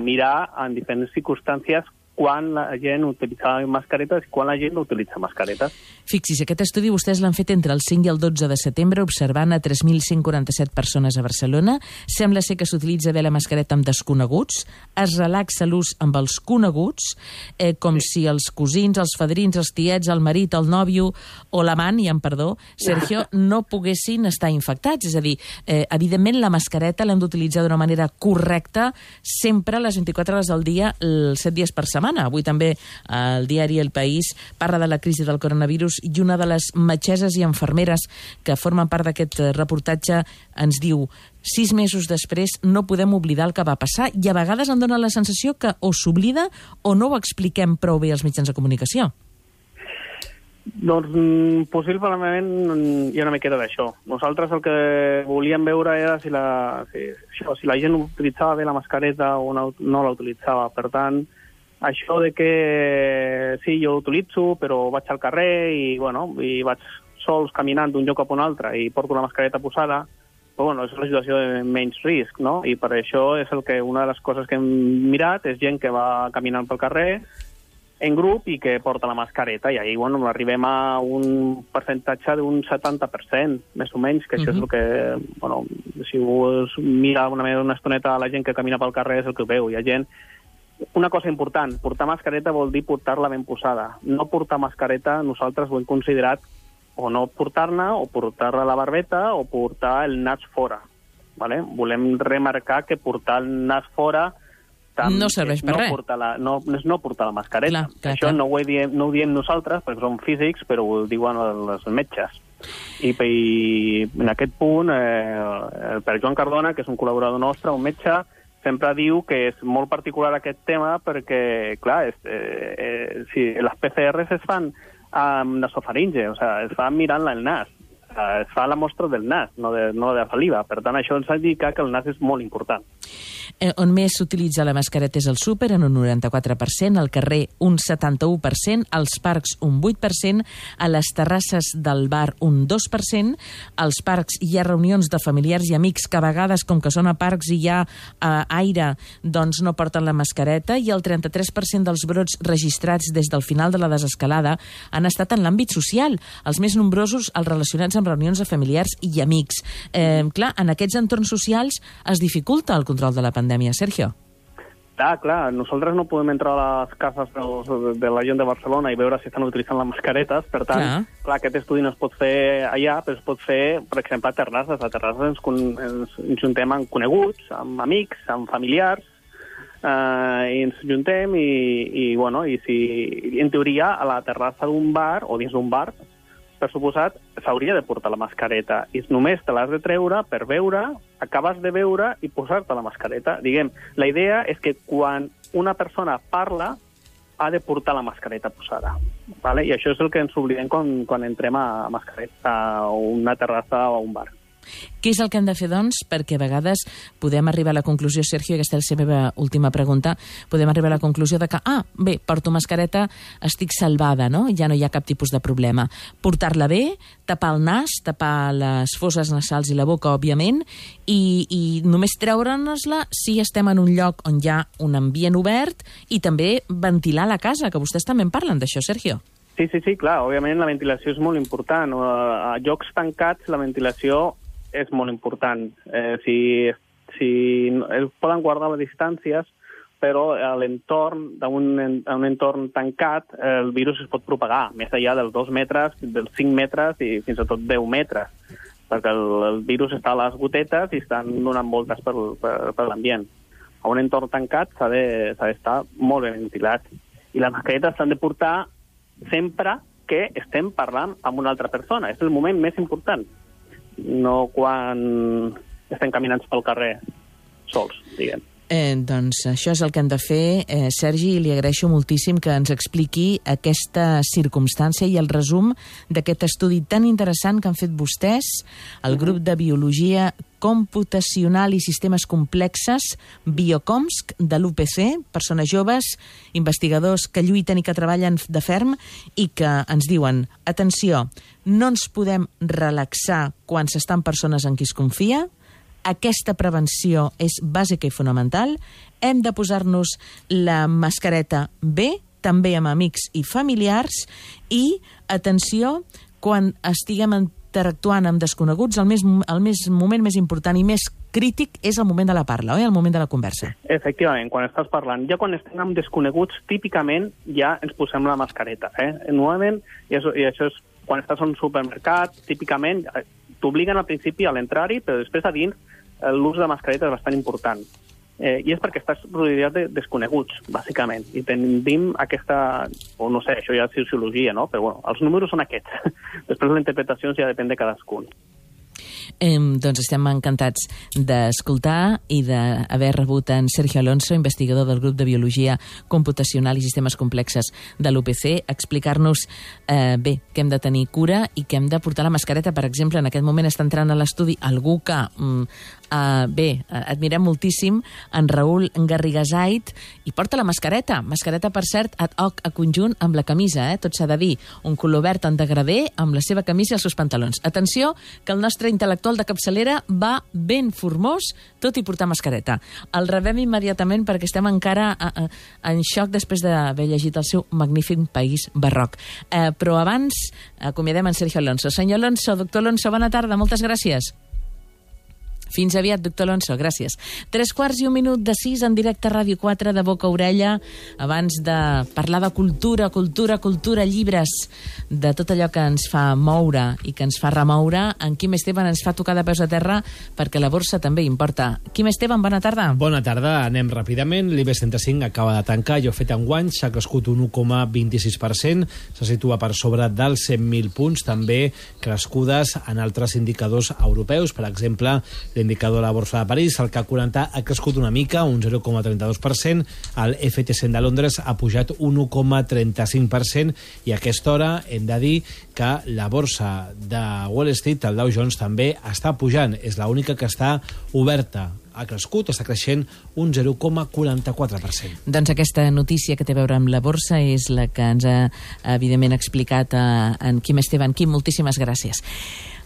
mirar en diferents circumstàncies quan la gent utilitza mascaretes i quan la gent no utilitza mascaretes. Fixi's, aquest estudi vostès l'han fet entre el 5 i el 12 de setembre, observant a 3.147 persones a Barcelona. Sembla ser que s'utilitza bé la mascareta amb desconeguts, es relaxa l'ús amb els coneguts, com si els cosins, els fadrins, els tiets, el marit, el nòvio o l'amant, i amb perdó, Sergio, no poguessin estar infectats. És a dir, evidentment la mascareta l'hem d'utilitzar d'una manera correcta sempre a les 24 hores del dia, els 7 dies per setmana. Avui també el diari El País parla de la crisi del coronavirus i una de les metgesses i infermeres que formen part d'aquest reportatge ens diu: 6 mesos després no podem oblidar el que va passar, i a vegades em dóna la sensació que o s'oblida o no ho expliquem prou bé als mitjans de comunicació. Doncs possiblement hi ha una miqueta d'això. Nosaltres el que volíem veure era si la gent utilitzava bé la mascareta o no la utilitzava. Per tant, això de que sí, jo utilitzo, però vaig al carrer i vaig sols caminant d'un lloc cap a un altre i porto la mascareta posada, però és una situació de menys risc, no? I per això és una de les coses que hem mirat és gent que va caminant pel carrer en grup i que porta la mascareta, i ahir arribem a un percentatge d'un 70%, més o menys, que això és el que, si us mira una estoneta a la gent que camina pel carrer és el que veu. Hi ha gent. Una cosa important, portar mascareta vol dir portar-la ben posada. No portar mascareta, nosaltres ho hem considerat o no portar-ne, o portar-la a la barbeta, o portar el nas fora. Vale? Volem remarcar que portar el nas fora no serveix per res. No portar la mascareta. Això no ho diem nosaltres, perquè som físics, però ho diuen els metges. I en aquest punt, el Pere Joan Cardona, que és un col·laborador nostre, un metge, sempre diu que és molt particular aquest tema perquè, clar, les PCRs es fan amb nasofaringe, o sigui, es fa mirant-la el nas. Es fa la mostra del nas, no de la saliva. Per tant, això ens indica que el nas és molt important. On més s'utilitza la mascareta és al súper, en un 94%, al carrer un 71%, als parcs un 8%, a les terrasses del bar un 2%, als parcs hi ha reunions de familiars i amics que a vegades, com que són a parcs i hi ha aire, doncs no porten la mascareta, i el 33% dels brots registrats des del final de la desescalada han estat en l'àmbit social, els més nombrosos els relacionats amb reunions de familiars i amics. Clar, en aquests entorns socials es dificulta el control de la pandèmia, Sergio. Clar, nosaltres no podem entrar a les cases de la gent de Barcelona i veure si estan utilitzant les mascaretes, per tant, clar, aquest estudi no es pot fer allà, però es pot fer, per exemple, a terrasses. A terrasses ens juntem amb coneguts, amb amics, amb familiars, i ens juntem i si en teoria a la terrassa d'un bar o dins d'un bar, per suposat, s'hauria de portar la mascareta i només te l'has de treure per veure, acabes de veure i posar-te la mascareta. Diguem, la idea és que quan una persona parla ha de portar la mascareta posada. ¿Vale? I això és el que ens oblidem quan entrem a mascareta a una terrassa o a un bar. Què és el que hem de fer, doncs? Perquè a vegades podem arribar a la conclusió, Sergio, i aquesta és la meva última pregunta, podem arribar a la conclusió de que, bé, porto mascareta, estic salvada, no? Ja no hi ha cap tipus de problema. Portar-la bé, tapar el nas, tapar les fosses nasals i la boca, òbviament, i només treure-nos-la si estem en un lloc on hi ha un ambient obert i també ventilar la casa, que vostès també en parlen d'això, Sergio. Sí, clar, òbviament la ventilació és molt important. A llocs tancats la ventilació és molt important. Poden guardar les distàncies, però a l'entorn d'un entorn tancat el virus es pot propagar més enllà dels 2 metres, dels 5 metres i fins i tot 10 metres, perquè el virus està a les gotetes i estan donant voltes per l'ambient. A un entorn tancat s'ha d'estar molt ben ventilat. I les mascaretes s'han de portar sempre que estem parlant amb una altra persona. És el moment més important. No quan estem caminant pel carrer sols, diguem. Doncs això és el que hem de fer. Sergi, li agraeixo moltíssim que ens expliqui aquesta circumstància i el resum d'aquest estudi tan interessant que han fet vostès, el grup de Biologia Computacional i Sistemes Complexes, Biocomsc, de l'UPC, persones joves, investigadors que lluiten i que treballen de ferm i que ens diuen, atenció, no ens podem relaxar quan s'estan persones en qui es confia, aquesta prevenció és bàsica i fonamental, hem de posar-nos la mascareta bé, també amb amics i familiars, i, atenció, quan estiguem interactuant amb desconeguts, el moment més important i més crític és el moment de la parla, oi? El moment de la conversa. Efectivament, quan estàs parlant. Ja quan estem amb desconeguts, típicament ja ens posem la mascareta. Normalment, i això és quan estàs a un supermercat, típicament t'obliguen al principi a l'entrar-hi, però després a dins l'ús de mascareta és bastant important. I és perquè estàs rodeat de desconeguts, bàsicament. I tenim aquesta, o no sé, això ja és sociologia, no? Però bueno, els números són aquests. Després la interpretació ja depèn de cadascun. Doncs estem encantats d'escoltar i d'haver rebut en Sergio Alonso, investigador del grup de Biologia Computacional i Sistemes Complexes de l'UPC, explicar-nos bé, que hem de tenir cura i que hem de portar la mascareta. Per exemple, en aquest moment està entrant a l'estudi algú que admirem moltíssim, en Raül Garrigasait, i porta la mascareta. Mascareta, per cert, ad hoc a conjunt amb la camisa, tot s'ha de dir. Un color verd en degradé amb la seva camisa i els seus pantalons. Atenció, que el nostre intel·lectual de capçalera va ben formós, tot i portar mascareta. El rebem immediatament perquè estem encara en xoc després d'haver llegit el seu magnífic País Barroc. Però abans acomiadem en Sergio Alonso. Senyor Alonso, doctor Alonso, bona tarda, moltes gràcies. Fins aviat, doctor Alonso, gràcies. 3:45 en directe a Ràdio 4 de Boca a Orella. Abans de parlar de cultura, llibres, de tot allò que ens fa moure i que ens fa remoure, en Quim Esteban ens fa tocar de peus a terra perquè la borsa també importa. Quim Esteban, bona tarda. Bona tarda, anem ràpidament. L'IBEX 35 acaba de tancar, allò fet enguany, s'ha crescut un 1,26%, se situa per sobre dels 100.000 punts, també crescudes en altres indicadors europeus, per exemple, l'indicador de la borsa de París, el CAC 40 ha crescut una mica, un 0,32%, el FT100 de Londres ha pujat un 1,35%, i a aquesta hora hem de dir que la borsa de Wall Street, el Dow Jones, també està pujant, és l'única que està oberta. Ha crescut, està creixent un 0,44%. Doncs aquesta notícia que té a veure amb la borsa és la que ens ha, evidentment, explicat en Quim Esteban. Quim, moltíssimes gràcies.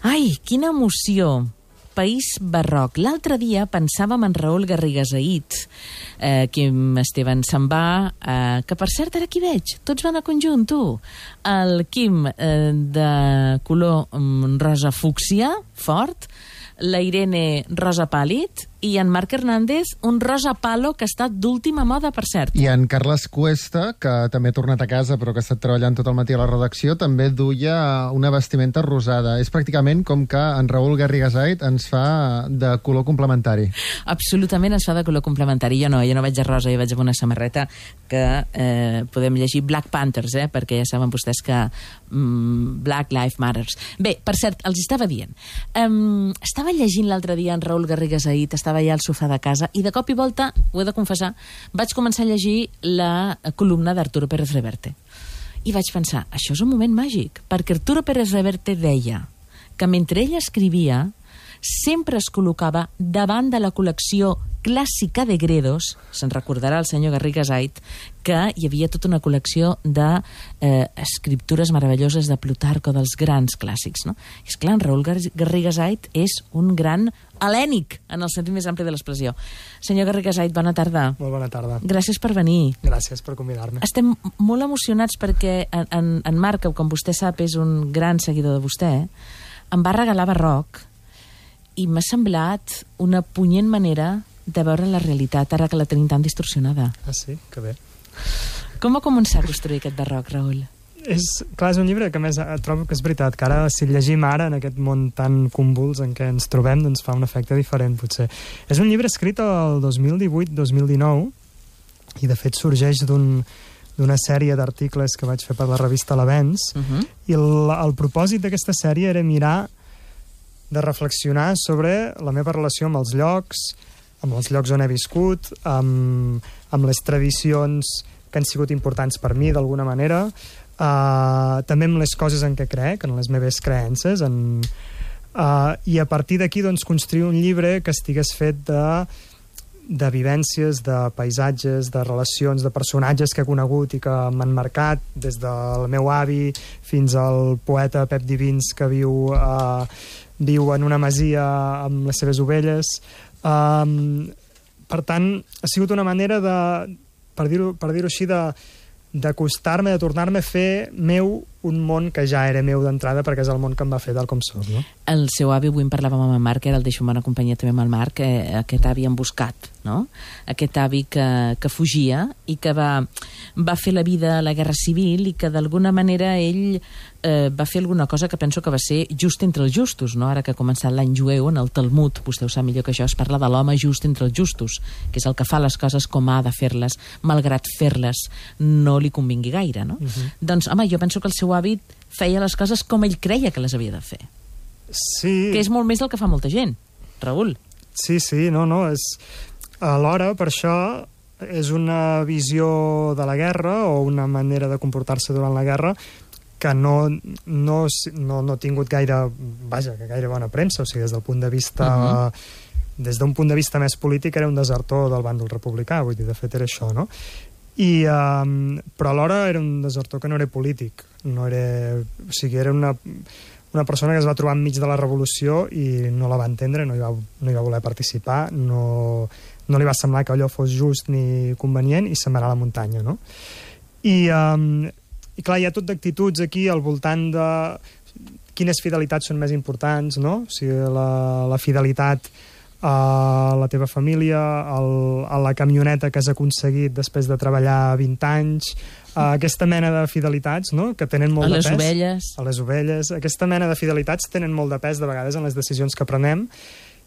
Ai, quina emoció! País Barroc. L'altre dia pensàvem en Raül Garrigasait. Quim Esteban se'n va, que per cert ara aquí veig, tots van a conjunt, tu. El Quim de color rosa fúcsia, fort, la Irene rosa pàl·lid i en Marc Hernández un rosa palo que està d'última moda, per cert. I en Carles Cuesta, que també ha tornat a casa però que ha estat treballant tot el matí a la redacció, també duia una vestimenta rosada. És pràcticament com que en Raül Garrigasait ens fa de color complementari. Absolutament ens fa de color complementari. Jo no vaig de rosa, jo vaig amb una samarreta que podem llegir Black Panthers, perquè ja saben vostès que Black Lives Matters. Bé, per cert, els estava dient. Estava llegint l'altre dia en Raül Garrigasait, estava allà al sofà de casa i de cop i volta, ho he de confessar, vaig començar a llegir la columna d'Arturo Pérez Reverte. I vaig pensar, això és un moment màgic, perquè Arturo Pérez Reverte deia que mentre ell escrivia sempre es col·locava davant de la col·lecció clàssica de Gredos, se'n recordarà el senyor Garrigasait, que hi havia tota una col·lecció d'escriptures meravelloses de Plutarco, dels grans clàssics, no? I esclar, en Raül Garrigasait és un gran helènic, en el sentit més ampli de l'expressió. Senyor Garrigasait, bona tarda. Molt bona tarda. Gràcies per venir. Gràcies per convidar-me. Estem molt emocionats perquè en Marc, com vostè sap, és un gran seguidor de vostè, em va regalar Barroc i m'ha semblat una punyent manera de veure la realitat, ara que la tenim tan distorsionada. Ah, sí? Que bé. Com va començar a construir aquest Barroc, Raül? Clar, és un llibre que, a més, trobo que és veritat, que ara, si llegim ara, en aquest món tan convuls en què ens trobem, doncs fa un efecte diferent, potser. És un llibre escrit el 2018-2019, i, de fet, sorgeix d'una sèrie d'articles que vaig fer per la revista L'Avenç, i el propòsit d'aquesta sèrie era mirar de reflexionar sobre la meva relació amb els llocs on he viscut, amb les tradicions que han sigut importants per mi, d'alguna manera, també amb les coses en què crec, en les meves creences, i a partir d'aquí doncs, construir un llibre que estigués fet de vivències, de paisatges, de relacions, de personatges que he conegut i que m'han marcat, des del meu avi fins al poeta Pep Divins, que viu en una masia amb les seves ovelles. Per tant, ha sigut una manera de, per dir-ho així, d'acostar-me, de tornar-me a fer meu un món que ja era meu d'entrada, perquè és el món que em va fer tal com soc, no? El seu avi, avui en parlàvem amb el Marc, era el deixo en bona companyia també amb el Marc, aquest avi emboscat, no? Aquest avi que fugia i que va fer la vida a la Guerra Civil i que d'alguna manera ell va fer alguna cosa que penso que va ser just entre els justos, no? Ara que ha començat l'any jueu, en el Talmud, vostè ho sap millor que jo, es parla de l'home just entre els justos, que és el que fa les coses com ha de fer-les, malgrat fer-les no li convingui gaire, no? Doncs, home, jo penso que el seu avi feia les coses com ell creia que les havia de fer. Sí. Que és molt més del que fa molta gent, Raül. Sí, no, és... Alhora, per això, és una visió de la guerra o una manera de comportar-se durant la guerra que no ha tingut gaire bona premsa, o sigui, des del punt de vista... Des d'un punt de vista més polític era un desertor del bàndol republicà, vull dir, de fet era això, no? Però alhora era un desertor que no era polític, no era... O sigui, era una persona que es va trobar enmig de la revolució i no la va entendre, no hi va voler participar, no li va semblar que allò fos just ni convenient i se'n va anar a la muntanya, no? I clar, hi ha tot d'actituds aquí al voltant de quines fidelitats són més importants, no? O sigui, la fidelitat a la teva família, a la camioneta que has aconseguit després de treballar 20 anys, aquesta mena de fidelitats, no?, que tenen molt de pes. A les ovelles. Aquesta mena de fidelitats tenen molt de pes de vegades en les decisions que prenem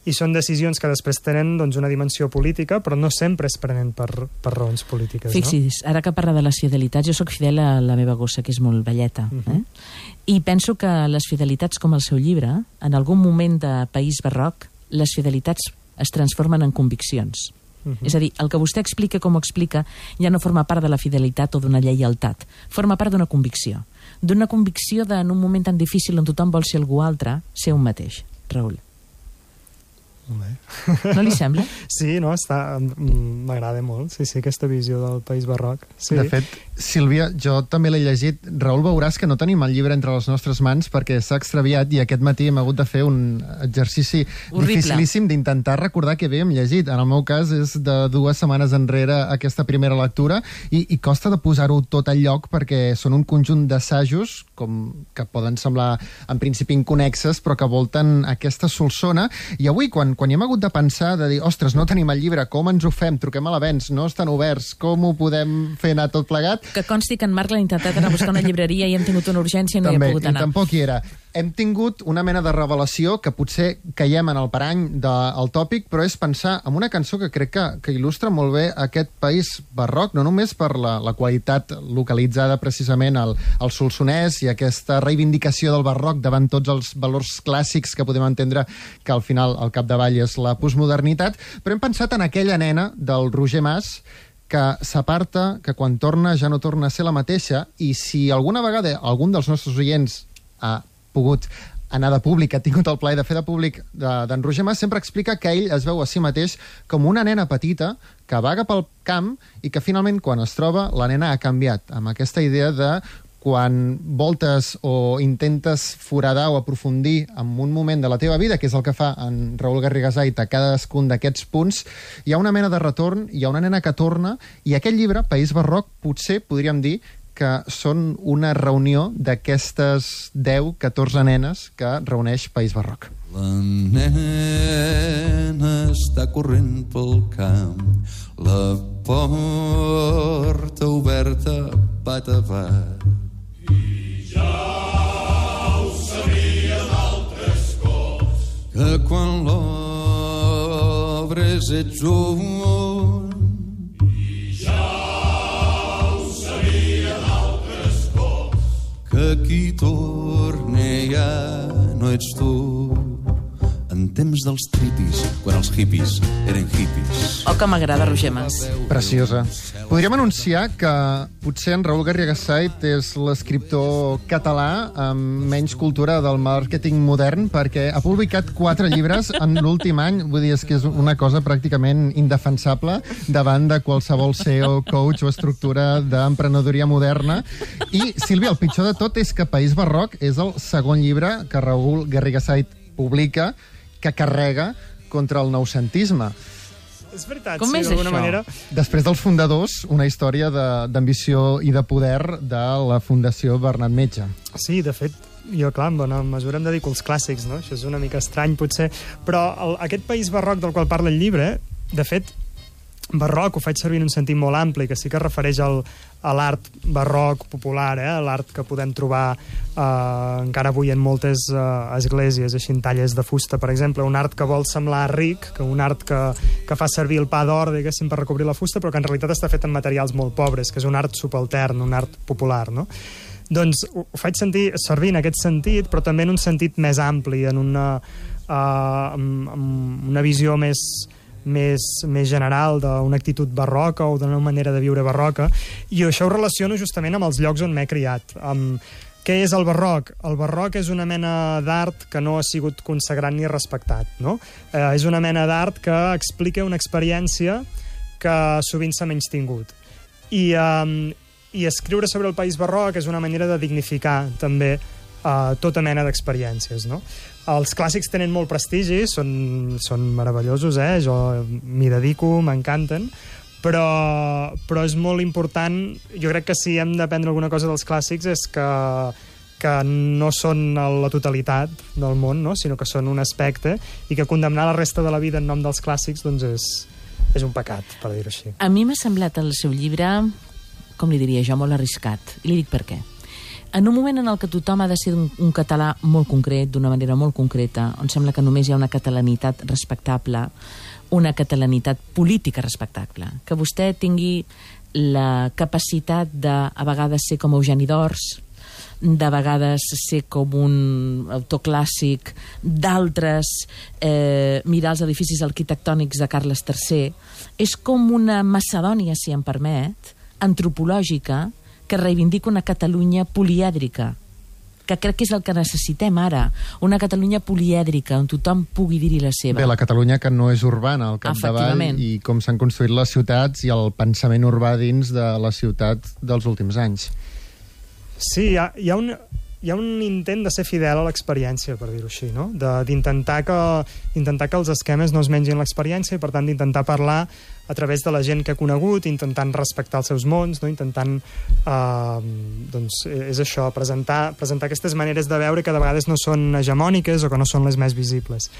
i són decisions que després tenen doncs, una dimensió política, però no sempre es prenen per raons polítiques. Fixi's, no? Ara que parla de les fidelitats, jo sóc fidel a la meva gossa, que és molt velleta. I penso que les fidelitats, com el seu llibre, en algun moment de País Barroc, les fidelitats es transformen en conviccions. És a dir, el que vostè explica com ho explica ja no forma part de la fidelitat o d'una lleialtat, forma part d'una convicció. D'una convicció de, en un moment tan difícil on tothom vol ser algú altre, ser un mateix. Raül. No li sembla? Sí, no, m'agrada molt, sí, aquesta visió del País Barroc. Sí. De fet, Sílvia, jo també l'he llegit. Raül, veuràs que no tenim el llibre entre les nostres mans perquè s'ha extraviat i aquest matí hem hagut de fer un exercici dificilíssim d'intentar recordar què havíem llegit. En el meu cas és de 2 setmanes enrere aquesta primera lectura i costa de posar-ho tot al lloc perquè són un conjunt d'assajos que poden semblar en principi inconexes però que volten aquesta solsona i avui quan hi hem hagut de pensar, de dir, ostres, no tenim el llibre, com ens ho fem? Truquem a l'avenç, no estan oberts, com ho podem fer anar tot plegat? Que consti que en Marc l'ha intentat anar a buscar una llibreria i hem tingut una urgència i no hi ha pogut anar. I tampoc hi era. Hem tingut una mena de revelació que potser caiem en el parany del tòpic, però és pensar en una cançó que crec que il·lustra molt bé aquest País Barroc, no només per la qualitat localitzada precisament al Solsonès i aquesta reivindicació del barroc davant tots els valors clàssics que podem entendre que al final, al capdavall, és la postmodernitat, però hem pensat en aquella nena del Roger Mas que s'aparta, que quan torna ja no torna a ser la mateixa, i si alguna vegada algun dels nostres oients ha pogut anar de públic, ha tingut el plaer de fer de públic d'en Roger Mas, sempre explica que ell es veu a si mateix com una nena petita que vaga pel camp i que finalment quan es troba la nena ha canviat, amb aquesta idea de quan voltes o intentes foradar o aprofundir en un moment de la teva vida, que és el que fa en Raül Garrigasait a cadascun d'aquests punts, hi ha una mena de retorn, hi ha una nena que torna, i aquest llibre, País Barroc, potser podríem dir que són una reunió d'aquestes 10-14 nenes que reuneix País Barroc. La nena està corrent pel camp, la porta oberta bat a bat. I ja ho sabia d'altres cops, que quan l'obres ets un. I ja ho sabia d'altres cops, que qui torna ja no ets tu. En temps dels tripis, quan els hippies eren hippies. Oh, que m'agrada Roger Mas. Preciosa. Podríem anunciar que potser en Raül Garrigasait és l'escriptor català amb menys cultura del màrqueting modern, perquè ha publicat 4 llibres en l'últim any. Vull dir, és que és una cosa pràcticament indefensable davant de qualsevol CEO, coach o estructura d'emprenedoria moderna. I, Sílvia, el pitjor de tot és que País Barroc és el segon llibre que Raül Garrigasait publica que carrega contra el noucentisme. És veritat, Com és d'alguna això? manera. Després dels fundadors, una història d'ambició i de poder de la Fundació Bernat Metge. Sí, de fet, jo, clar, en bona mesura em dedico als clàssics, no? Això és una mica estrany, potser. Però aquest país barroc del qual parla el llibre, de fet, barroc ho faig servir en un sentit molt ampli, que sí que es refereix a l'art barroc popular, l'art que podem trobar encara avui en moltes esglésies, així en talles de fusta, per exemple, un art que vol semblar ric, que un art que fa servir el pa d'or, diguéssim, per recobrir la fusta, però que en realitat està fet en materials molt pobres, que és un art subaltern, un art popular, no? Doncs ho faig servir en aquest sentit, però també en un sentit més ampli, en una visió més general d'una actitud barroca o d'una manera de viure barroca, i això ho relaciono justament amb els llocs on m'he criat. Què és el barroc? El barroc és una mena d'art que no ha sigut consagrat ni respectat, no? És una mena d'art que explica una experiència que sovint s'ha menystingut. I escriure sobre el país barroc és una manera de dignificar també tota mena d'experiències, no? Els clàssics tenen molt prestigi, són meravellosos, jo m'hi dedico, m'encanten, però és molt important, jo crec que si hem d'aprendre alguna cosa dels clàssics és que no són la totalitat del món, no? Sinó que són un aspecte, i que condemnar la resta de la vida en nom dels clàssics doncs és un pecat, per dir-ho així. A mi m'ha semblat el seu llibre, com li diria jo, molt arriscat. I li dic per què. En un moment en el que tothom ha de ser un català molt concret, d'una manera molt concreta, on sembla que només hi ha una catalanitat respectable, una catalanitat política respectable, que vostè tingui la capacitat de, a vegades, ser com Eugeni d'Ors, de vegades ser com un autor clàssic, d'altres mirar els edificis arquitectònics de Carles III, és com una Macedònia, si em permet, antropològica, que reivindica una Catalunya polièdrica, que crec que és el que necessitem ara, una Catalunya polièdrica, on tothom pugui dir-hi la seva. Bé, la Catalunya que no és urbana, al capdavall, i com s'han construït les ciutats i el pensament urbà dins de la ciutat dels últims anys. Sí, hi ha un intent de ser fidel a l'experiència, per dir-ho així, no? D'intentar que els esquemes no es mengin l'experiència i, per tant, d'intentar parlar a través de la gent que ha conegut, intentant respectar els seus mons, no? Intentant, doncs, és això, presentar aquestes maneres de veure que de vegades no són hegemòniques o que no són les més visibles.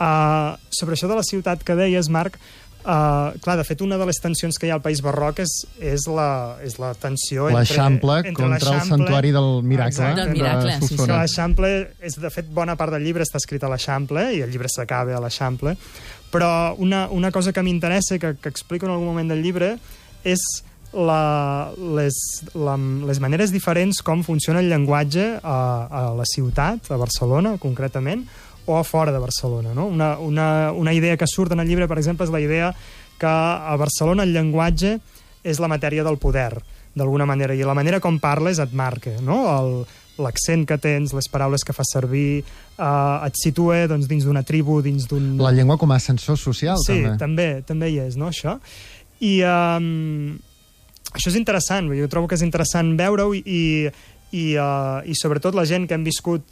Sobre això de la ciutat que deies, Marc, clar, de fet, una de les tensions que hi ha al País Barroc és la tensió entre l'Eixample contra el santuari del Miracle. Del Miracle, sí. L'Eixample, de fet, bona part del llibre està escrit a l'Eixample, i el llibre s'acaba a l'Eixample, però una cosa que m'interessa, que explico en algun moment del llibre, és les maneres diferents com funciona el llenguatge a la ciutat, a Barcelona, concretament, o a fora de Barcelona, no? Una idea que surt en el llibre, per exemple, és la idea que a Barcelona el llenguatge és la matèria del poder, d'alguna manera, i la manera com parles et marca, no? L'accent que tens, les paraules que fas servir, et situa doncs, dins d'una tribu, dins d'un... La llengua com a ascensor social, sí, també. Sí, també hi és, no, això? I això és interessant, jo trobo que és interessant veure-ho, i sobretot la gent que hem viscut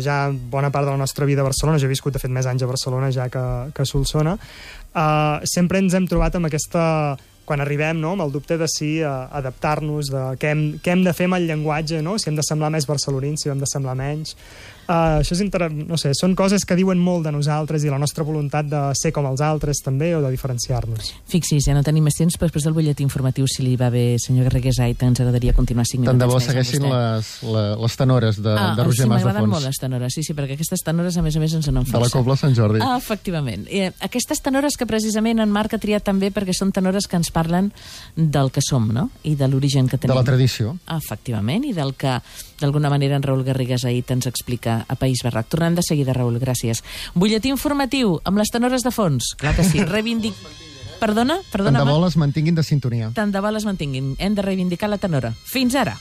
ja bona part de la nostra vida a Barcelona, jo he viscut de fet més anys a Barcelona ja que a Solsona, sempre ens hem trobat amb aquesta, quan arribem, no?, amb el dubte de si adaptar-nos, de què hem de fer amb el llenguatge, no?, si hem de semblar més barcelonins, si hem de semblar menys. Això és no sé, són coses que diuen molt de nosaltres i la nostra voluntat de ser com els altres també, o de diferenciar-nos. Fixi's, ja no tenim més temps, però després del butlletí informatiu, si li va bé, senyor Garrigues-Ait, ens agradaria continuar 5 minuts. Tant de bo segueixin les tenores de Roger Mas de Fons. M'agraden molt les tenores, sí, perquè aquestes tenores, a més ens en força. De la Cobla Sant Jordi. Efectivament. Aquestes tenores que precisament en Marc ha triat també perquè són tenores que ens parlen del que som, no?, i de l'origen que tenim. De la tradició. Efectivament, i del que, d'alguna manera, en Raül Garrigues-Ait ens explica a País Barroc. Tornem de seguida, Raül, gràcies. Butlletí informatiu, amb les tenores de fons. Clar que sí. Perdona? Tant de bo les mantinguin de sintonia. Tant de bo les mantinguin. Hem de reivindicar la tenora. Fins ara.